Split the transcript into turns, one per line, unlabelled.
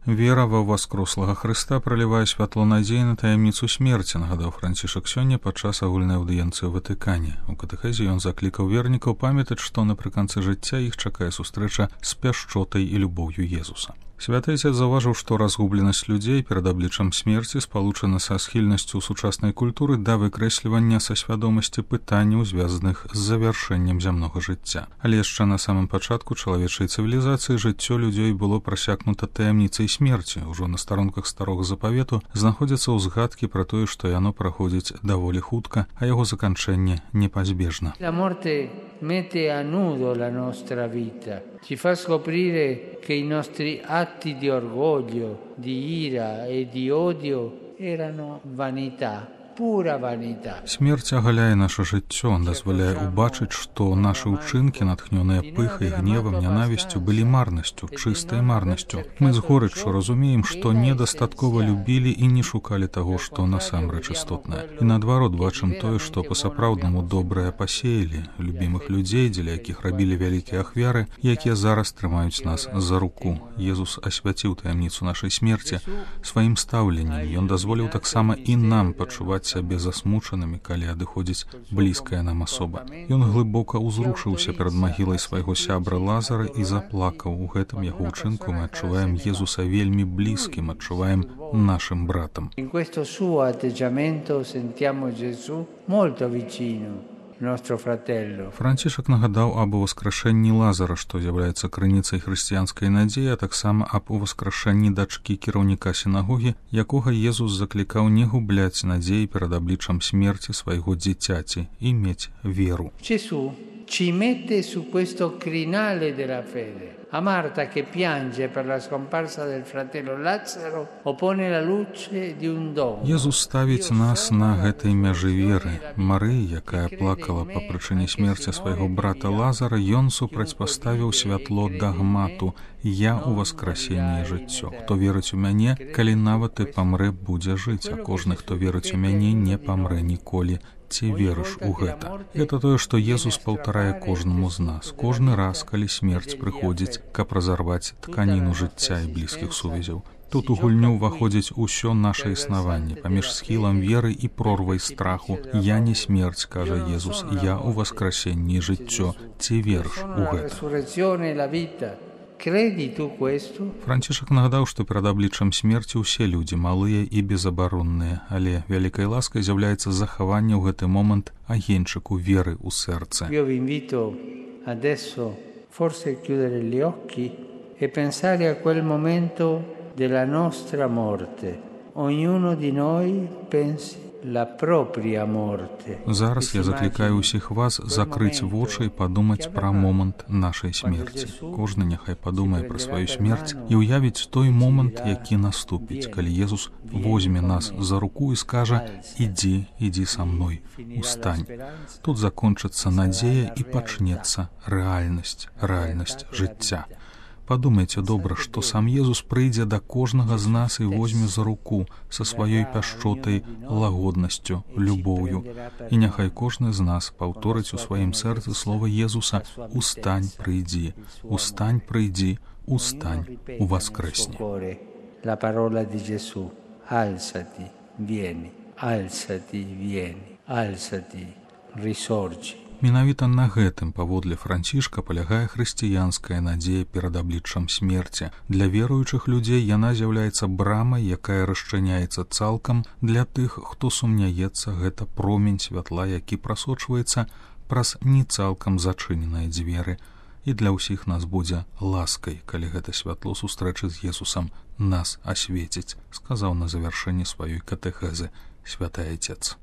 Вера ва ўваскрослага Хрыста пралівае святло надзеі на таямніцу смерці, нагадаў Францішак сёння падчас агульнай аўдыенцыі ў Ватыкане. У катэхезе ён заклікаў вернікаў памятаць, што напрыканцы жыцця іх чакае сустрэча з пяшчотай і любоўю Езуса. Святы Отец заўважыў, што разгубленасць людзей перад абліччам смерці спалучана са схільнасцю сучаснай культуры да выкрэслівання са свядомасці пытанняў, звязаных з завяршэннем зямнога жыцця. Але яшчэ на самым пачатку чалавечай цывілізацыі жыццё людзей было прасякнута таямніцай смерці. Ужо на старонках старога запавету знаходзяцца ўзгадкі пра тое, што яно праходзіць даволі хутка, а яго заканчэнне непазбежна.
Mette a nudo la nostra vita, ci fa scoprire che i nostri atti di orgoglio, di ira e di odio erano vanità.
Смерць агаляе наша жыццё, дазваляе ўбачыць, што нашы ўчынкі, натхнёныя пыхай, гневам, нянавісцю, былі марнасцю, чыстай марнасцю. Мы з горыччу разумеем, што недастаткова любілі і не шукалі таго, што насамрэч істотнае. І наадварот бачым тое, што па-сапраўднаму добрае пасеялі, любімых людзей, дзеля якіх рабілі вялікія ахвяры, якія зараз трымаюць нас за руку. Езус асвяціў таямніцу нашай смерці сваім стаўленнем. Ён дазволіў таксама і нам пачуваць сябе засмучанымі, калі адыходзіць блізкая нам асоба. Ён глыбока ўзрушыўся перад магілай свайго сябра Лазара і заплакаў. У гэтым яго ўчынку мы адчуваем Езуса вельмі блізкім, адчуваем нашым братам.
In questo suo atteggiamento sentiamo Gesù molto vicino.
Францішак нагадаў аб уваскрашэнні Лазара, што з'яўляецца крыніцай хрысціянскай надзеі, а таксама аб уваскрашэнні дачкі кіраўніка сінагогі, якога Езус заклікаў не губляць надзеі перад абліччам смерці свайго дзіцяці і мець веру.
Gesù ci mette su questo crinale della fede. A Marta che piange per la scomparsa del fratello Lazzaro oppone la luce di un dono.
Езус ставіць нас на гэтай мяжы веры. Марыя, якая плакала па прычыне смерці свайго брата Лазара, ён супрацьпаставіў святло дагмату «Я у васкрасенні жыццё». Хто верыць у мяне, калі нават і памрэ, будзе жыць, а кожны, хто верыць у мяне, не памрэ ніколі. Ці верыш у гэта? Гэта тое, што Езус паўтарае кожнаму з нас. Кожны раз, калі смерць прыходзіць, каб разарваць тканіну жыцця і блізкіх сувязяў. Тут у гульню ўваходзіць усё наша існаванне, паміж схілам веры і прорвай страху. «Я не смерць», кажа Езус, «Я у васкрасенні жыццё». Ці верыш у гэта? Францішак нагадаў, што перад абліччам смерці ўсе людзі малыя і безабаронныя, але вялікай ласкай з'яўляецца захаванне ў гэты момант агеньчыку веры ў сэрцы.
Io vi invito adesso forse chiudere gli occhi e pensare a quel momento della nostra morte. Ognuno di noi pensi la propria morte.
Зараз я заклікаю ўсіх вас закрыць вочы і падумаць пра момант нашай смерці. Кожны няхай падумае пра сваю смерць і ўявіць той момант, які наступіць, калі Езус возьме нас за руку і скажа «Ідзі, ідзі са мной, устань». Тут закончыцца надзея і пачнецца рэальнасць жыцця. Падумайце добра, што сам Езус прыйдзе да кожнага з нас і возьме за руку са сваёй пяшчотай, лагоднасцю, любоўю. І няхай кожны з нас паўторыць у сваім сэрцы слова Езуса «Устань, прыйдзі, устань, прыйдзі, устань, уваскрэсні».
La parola di Gesù, alzati, vieni, alzati, vieni, alzati, risorgi.
Менавіта на гэтым, паводле Францішка, палягае хрысціянская надзея перад абліччам смерці. Для веруючых людзей яна з'яўляецца брамай, якая расчыняецца цалкам. Для тых, хто сумняецца, гэта промень святла, які прасочваецца праз не цалкам зачыненыя дзверы. І для ўсіх нас будзе ласкай, калі гэта святло сустрэчы з Езусам нас асветіць, сказаў на завяршэнні сваёй катэхезы святы Отец.